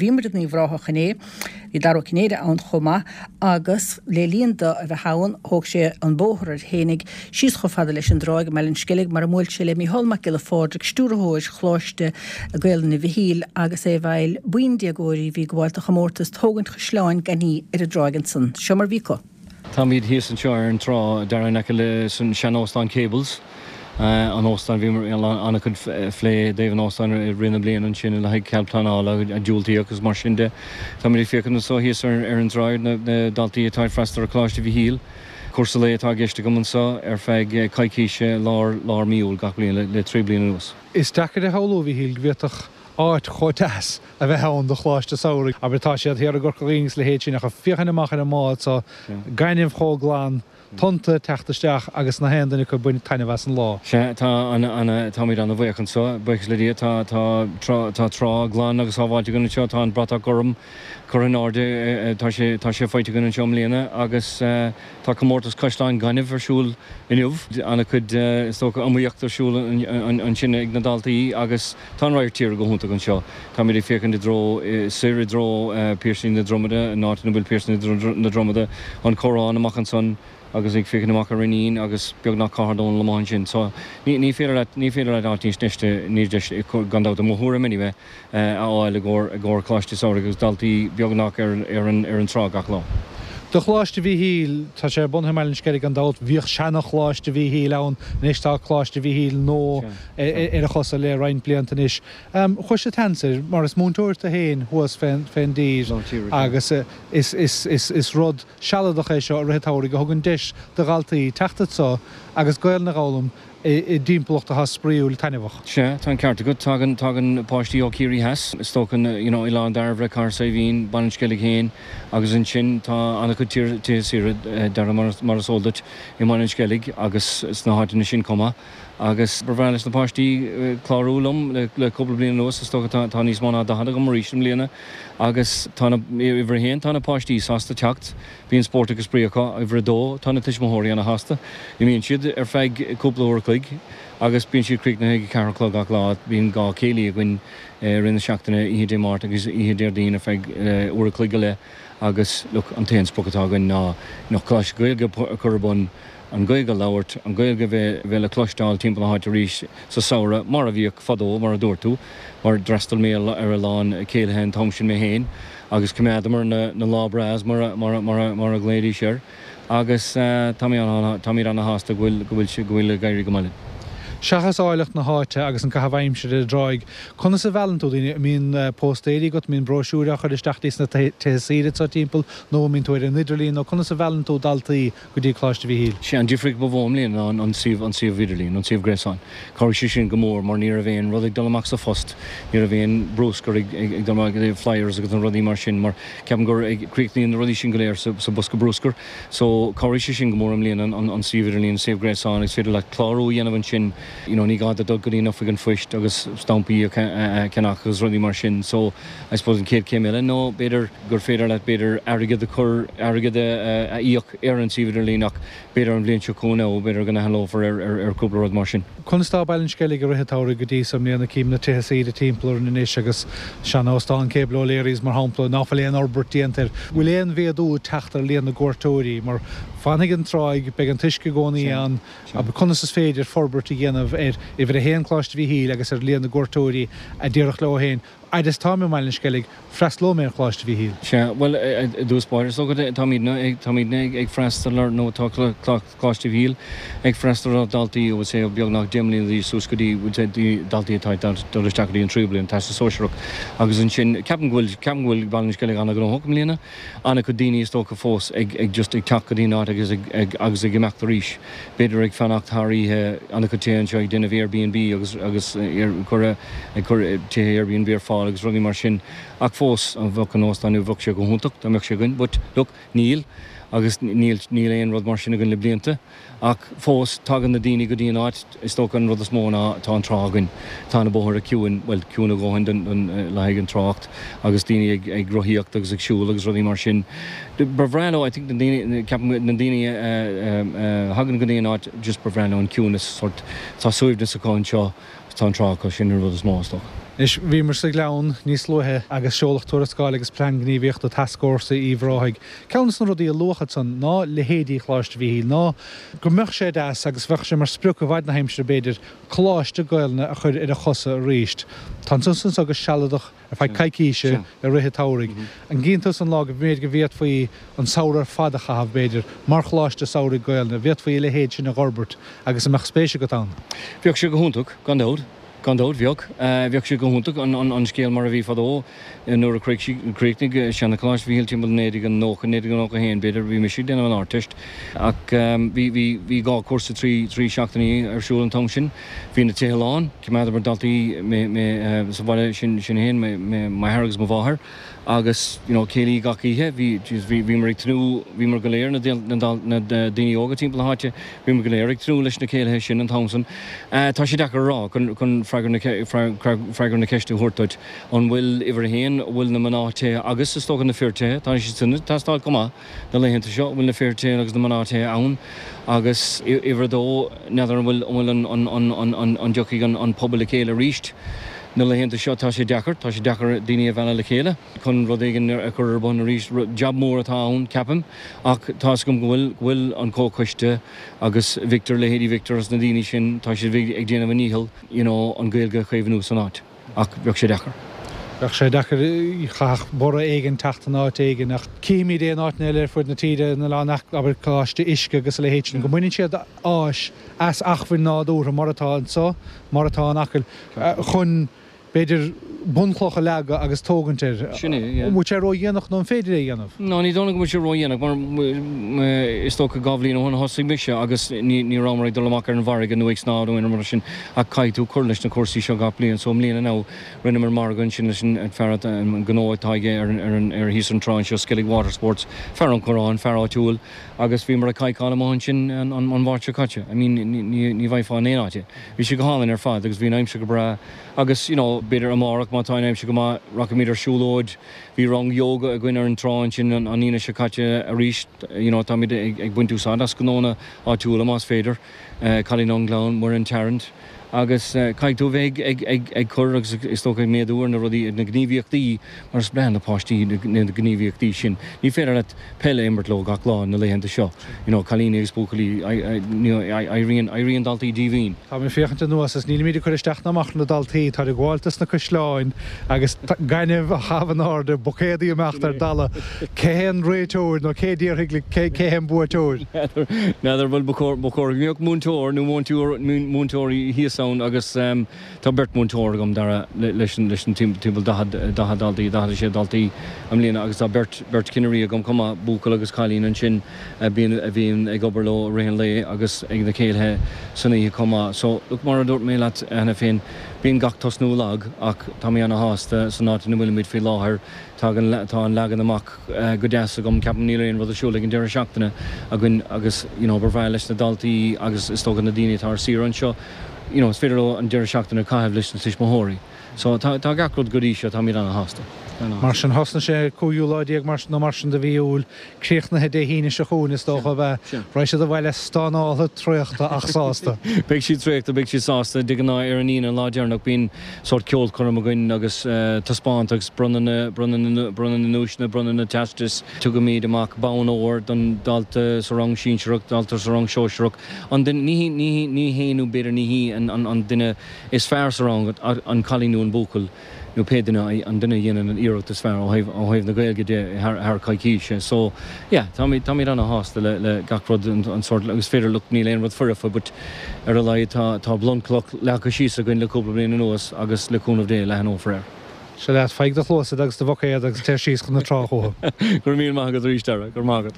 Bhíomar in Uíbh Ráthach inné. Bhí Dara Ó Cinnéide ann chomh maith agus le linn do a bheith ann thóg sé an bóthar air fhéinig síos chomh fada leis an dtráigh i mBaile an Sceilg mar a mbuail sé le Mícheál Mac Giolla Phádraig, Stiúrthóir Choláiste Gaelainne Mhichíl agus é ag fáil buíon déagóirí a bhí ag gabháil do chomórtas tógaint chaisleáin gainimh ar an dtráigh ansan. Seo mar bhí acu. Táimid thíos anseo ar an trá, Dara, in aice leis an sean-óstán Cables, an óstán, bhíomar an-chuid phlé i dtaobh an óstáin i rith na bliana ansin le haghaidh cead pleanála a diúltaíodh agus mar sin de. Táimid ag féachaint anseo thíos ar an dtráigh ar na daltaí atá ag freastal ar Choláiste Mhichíl. Cúrsa lae atá i gceist agam anseo ar feadh coicíse lár lár mí Iúil gach bliain le 3 bliana anuas. Is deacair a shamhlú, a Mhichíl, go bhféadfadh áit chomh deas a bheith ann do choláiste samhraidh. Abair, tá siad thiar i gCorca Dhuibhne agus a leithéid sin, ach ag féachaint amach ar an mbád so, gaineamh chomh glan, tonnta ag teacht isteach agus nach aon duine acu ag baint taitneamh as an lá. Sea, tá ana, táimid ana-bhuíoch anseo, buíochas le Dia, tá, tá trá, tá trá glan agus sábháilte againn anseo, tá an bratach gorm curtha in airde, tá sé, tá sé faighte againn anseo i mbliana agus tá comórtas caisleáin gainimh ar siúl inniu. Ana-chuid, is dócha, iomaíocht ar siúl ansin ag na daltaí agus tá an radharc tíre go hiontach anseo. Táimid ag féachaint i dtreo soir i dtreo Piarsaigh na Dromada, an áit ina bhfuil Piarsaigh na Dromada, an Corrán amach ansan agus ag féachaint amach ar Rineen agus beagnach Cathair Dónall amuigh ansin. So ní féidir leat, ní féidir leat áit níos deise, níos deise, gan dabht, i mo thuairim anyway, a fháil i gcomhair, i gcomhair Coláiste Samhraidh agus daltaí beagnach ar, ar an, ar an trá gach lá. Do Choláiste Mhíchíl, tá sé bunaithe i mBaile an Sceilg gan dabht, bhíodh seana-Choláiste Mhíchíl ann, anois tá Coláiste Mhíchíl nua ar a chosa le roinnt blianta anois. Chuir sé seans air, mar is múinteoir tú féin thuas fén dtír agus is rud sealadach é seo i rith an tsamhraidh a thugann deis do dhaltaí teacht anso agus Gaelainn a dh'fhoghlaim i dtimpeallacht atá spraíúil taitneamhach. Sea, tá an ceart agat. Tagann, tagann páistí ó Chiarraí Theas, is dócha, you know, Oileán Dairbhre, Cathair Saidhbhín, Baile an Sceilg féin agus ansin tá an-chuid tithe saoire, Dara, mar is eol duit, i mBaile an Sceilg agus sna háiteanna sin chomh maith. Agus ba bhreá leis na páistí clárú liom le cúpla bliain anuas, is dócha tá níos mó ná 40 agam arís i mbliana agus tá na, uimhir a haon, tá na páistí sásta teacht, bíonn spórt agus spraoi acu, uimhir a dó, tá na tuismitheoirí ana shásta, imíonn siad ar feadh cúpla uair a chloig agus bíonn siad críochnaithe ag a ceathair a chlog gach lá, bíonn dhá chéilí againn i rith na seachtaine, oíche Dé Máirt agus oíche Déardaoin ar feadh uair a chloig go leith agus look, an t-aon sprioc atá againn ná Coláiste Gaeilge a chur ar bun. an Ghaeilge a labhairt, an Ghaeilge a bheith le cloisteáil timpeall na háite arís sa samhradh, mar a bhíodh fadó, mar a dúirt tú, mar d'fhreastail mé ar a lán céilithe an t-am sin mé féin agus choimeádamar na lá breás mar a ghlaoidís air agus táimid ana-shásta go bhfuil, go bhfuil, go bhfuil ag éirí go maith linn. Seachas áilleacht na háite agus an caitheamh aimsire ar an dtráigh, conas a mheallann tú daoine? An mbíonn póstaeirí agat, an mbíonn bróisiúir á chur isteach dtí sna tithe saoire anseo timpeall nó an mbíonn tú ar an idirlíon nó conas a mheallann tú daltaí go dtí Coláiste Mhichíl. Sé an difríocht ba mhó i mbliana ná an suíomh, an suíomh idirlín, an suíomh gréasáin. Chabhraigh sé sin go mór mar ní raibh aon rud ag dul amach sa phost, ní raibh aon brúscar ag ag dul amach, flyers agus na rudaí mar sin mar ceapaim gur críochnaíonn na rudaí sin go léir sa sa bosca brúscair. So chabhraigh sé sin go mór i mbliana an an suíomh idirlín, an suíomh gréasáin agus féidir leat clárú a dhéanamh ansin, you know ní gá duit dul go dtí an oifig an phoist agus stampaí a cheannach agus rudaí mar sin. So I suppose an chéad chéim eile nó b'fhéidir gur féidir leat b'fhéidir airgead a chur, airgead a íoc ar an suíomh idirlín ach b'fhéidir an bhliain seo chugainn nó b'fhéidir go n-athlófar ar chúpla rud mar sin. Conas tá Baile an Sceilg i rith an tsamhraidh go dtí so i mbliana? Cím na tithe saoire timpeall orainn anois agus sean-óstán Cable O'Leary's mar shampla ná fuil aon fhorbairt déanta air. Bhfuil aon mhéadú ag teacht ar líon na gcuairteoirí? Mar fanfaidh an tráigh, beidh an t-uisce i gcónaí ann, conas is féidir forbairt a dhéanamh ar uimhir a haon Coláiste Mhichíl agus ar líon na gcuairteoirí a déarfadh leo féin Fhad is táim i mBaile an Sceilg, freastalóidh mé ar Choláiste Mhichíl. Sea, bhuel, i dtús báire, is dócha, táimidne ag, táimidne ag freastal ar, nó tá Coláiste Mhichíl ag freastal ar dhaltaí, I would say, ó beagnach 10 mbliana d'aois suas go dtí, I would say, daltaí atá ag dul isteach go dtí an tríú bliain, Teastas Sóisearach. Agus ansin, ceapaim go bhfuil, ceapaim go bhfuil Baile an Sceilg an-ghnóthach i mbliana. An-chuid daoine, is dócha, fós ag, ag just ag teacht go dtí an áit agus ag, ag, agus ag imeacht arís. B'fhéidir ag fanacht thar oíche, an-chuid tithe anseo ag déanamh Airbnb agus, agus ag ag cur tithe Airbnb ar fáil agus rudaí mar sin. Ach fós, bheadh an óstán nua, bheadh sé go hiontach dá mbeadh sé againn but look, níl agus níl, níl aon rud mar sin againn le blianta. Ach fós, tagann na daoine go dtí an áit, is dócha an rud is mó ná tá an trá againn. Tá na bóithre ciúin, bhuel, ciúin a dhóthain don, don, le haghaidh an trácht agus daoine ag, ag rothaíocht agus ag siúl agus rudaí mar sin. Ba bhreá leo, I think na daoine, ceapaim na daoine a thagann go dtí an áit, just ba bhreá leo an ciúnas, sort, tá suaimhneas acu anseo, tá an trá acu, sin an rud is mó, is dócha. Anois, bhíomar sa Ghleann níos luaithe agus seoladh tuarascáil agus plean gníomhaíochta Tascfhórsa Uíbh Ráthaigh. Ceann de na rudaí a luadh ansan ná leithéidí Choláiste Mhíchíl, ná go mbeadh sé deas agus bheadh sé mar sprioc i bhfad na haimsire b'fhéidir, coláiste Gaelainne a chur ar a chosa arís. Tá tusa anso go sealadach ar feadh coicíse i rith an tsamhraidh. An gcíonn tusa an lá go mb'fhéidir go bhféadfaí an samhradh ar fad a chaitheamh, b'fhéidir, mar choláiste samhraidh Gaelainne? An bhféadfaí a leithéid sin a dh'fhorbairt agus an mbeadh spéis agat ann? Bheadh sé go hiontach, gan dabht. Gan dabht, bheadh. Bheadh sé go hiontach an scéal mar a bhí fadó nuair a chríochnaigh seana-Choláiste Mhíchíl timpeall 1990, 1991 b'fhéidir, bhí mise ag déanamh an Ardteist ach bhí, bhí, bhí dhá chúrsa trí, trí seachtainí ar siúl an t-am sin. Bhí na tithe lán, choimeádamar daltaí mé, mé sa bhaile sin, sin fhéin, mé, mé, m'athair agus mo mháthair. Agus, you know, céilí gach oíche, bhí, jeez, bhí, bhíomar ag tnúth, bhíomar go léir, na, na, na daoine óga timpeall na háite, bhíomar go léir ag tnúth leis na céilithe sin an t-am san. Tá sé deacair a rá, chun, chun freagra na, freagra na ceiste a thabhairt duit, an bhfuil, uimhir a haon, an bhfuil na mná tithe agus, is dócha, na fir tithe, tá siad sin ag teastáil chomh maith na laethanta seo, an bhfuil na fir tithe agus na mná tithe ann agus, uimhir a dó, n'fheadar an bhfuil, an bhfuil an, an, an, an, an, an dtiocfaidh an, an pobal le chéile arís. Na laethanta seo tá sé deacair, tá sé deacair daoine a mhealladh le chéile chun rud éigin a chur ar bun arís. Jab mór atá ann, ceapaim, ach tá 'fhios agam go bhfuil, go bhfuil an comhchoiste agus Victor, leithéidí Victor agus na daoine sin, tá siad ag déanamh a ndícheall, you know, an Ghaeilge a chaomhnú san áit. Ach bheadh sé deacair. Bheadh sé deacair, chaithfeadh borradh éigin teacht in áit éigin ach címid é in áiteanna eile ar fud na tíre, na oileáin, abair Coláiste Uisce agus a leithéid sin, go mbaineann siad áis as acmhainn nádúrtha mar atá anso, mar atá in Acaill, chun, b'fhéidir, bunchloch a leagadh agus tógaint air. Sin é, yeah. An bhfuil sé ródhéanach nó an féidir é a dhéanamh? No, ní dóigh liom go bhfuil sé ródhéanach mar is dócha 2 bhliain ó shin a thosaigh mise agus ní ní rabhamar ag dul amach ar an bhfarraige nó ag snámh nó aon rud mar sin ach caithfidh tú cur leis na cúrsaí seo gach bliain so i mbliana now rinneamar margadh ansin leis an fear atá an gnó atá aige ar an ar an ar thíos an trá anseo Skellig Water Sports, fear ón Choireán, fear áitiúil. Agus bhíomar ag cadhcáil amuigh ansin an Mháirt seo caite. I mean, ní bhfaighfeá in aon áit é. Bhí sé go hálainn ar fad agus bhí an aimsir go breá agus, you know, b'fhéidir amárach má tá an aimsir go maith, rachaimid ar siúlóid. Bhí rang yoga againn ar an trá ansin an Aoine seo caite arís. You know, táimid ag baint úsáid as gnónna áitiúla más féidir. Cailín ón nGleann, Muireann Tarrant. Agus caithfidh tú a bheith ag cur agus is dócha ag méadú ar na rudaí, na gníomhaíochtaí, mar is breá na páistí na gníomhaíochtaí sin. Ní féidir leat peil a imirt leo gach lá na laethanta seo, you know, cailíní agus buachaillí, éiríonn, éiríonn daltaí díomhaoin. Tá mé ag féachaint anuas is nílimid ag cur isteach ná amach ar na daltaí, táid ag gabháil dos na caisleáin agus gaineamh á chaitheamh in airde, buicéadaí ag imeacht ar dalladh. Cé hé an réiteoir nó cé a déarfaidh cé hé an buaiteoir? N'fheadar, bhuel ba chóir go mbeadh múinteoir nó múinteoirí thíos ann agus tá beirt mhúinteoir agam, Dara, leis an timpeall 40 daltaí, 46 daltaí i mbliana agus tá beirt, beirt chinnirí agam chomh maith, buachaill agus cailín ansin a bhíonn, a bhíonn ag obair leo i rith an lae agus ag na céilithe san oíche chomh maith. So, look, mar a dúirt mé leat cheana féin, bíonn gach tosnú lag ach tá mé ana-shásta san áit ina bhfuilimid faoi láthair. Tagann, tá an leagan amach go deas agam, ceapaim, níl aon rud ar siúl ag an deireadh seachtaine againn agus you know ba bhreá leis na daltaí agus is dócha na daoine atá ar saoire anseo, you know is féidir leo an deireadh seachtaine a chaitheamh leis na tuismitheoirí. So tá, tá gach rud go dtí seo, táimid ana-shásta. Mar sin, thosnaigh sé cúigiú lá déag mar, nó mar sin de mhí Iúil, críochnaithe Dé hAoine seo chugainn is dócha, ab ea? Raghaidh siad abhaile stánáltha, traochta ach sásta. Beidh siad traochta, beidh siad sásta. De ghnáth ar an Aoine, an lá deireanach, bíonn sórt ceolchoirm againn agus taispeántas agus bronnadh na, bronnadh na, bronnadh na nduaiseanna, bronnadh na teastais. Tugaimid amach bonn óir don dalta sa rang sinsearach, dalta sa rang sóisearach. An duine, ní hí, ní hí, ní hé nó b'fhéidir ní hí an, an, an duine is fearr sa rang, an cailín nó an buachaill nó pé duine, an duine a dhéanann an iarracht is fearr ó thaobh, ó thaobh na Gaeilge de thar, thar coicíse. So, yeah, táimid, táimid ana-shásta le, le gach rud, an, an sórt, agus féidir, look, níl aon rud foirfe but ar a laghad tá, tá bunchloch leagtha síos againn le cúpla bliain anuas agus le cúnamh Dé leathnófar air. Seo leat, faigh do chluasa agus do bhuicéad agus téir síos chun na trá chucu. Go raibh míle maith agat arís, Dara. Go raibh maith agat.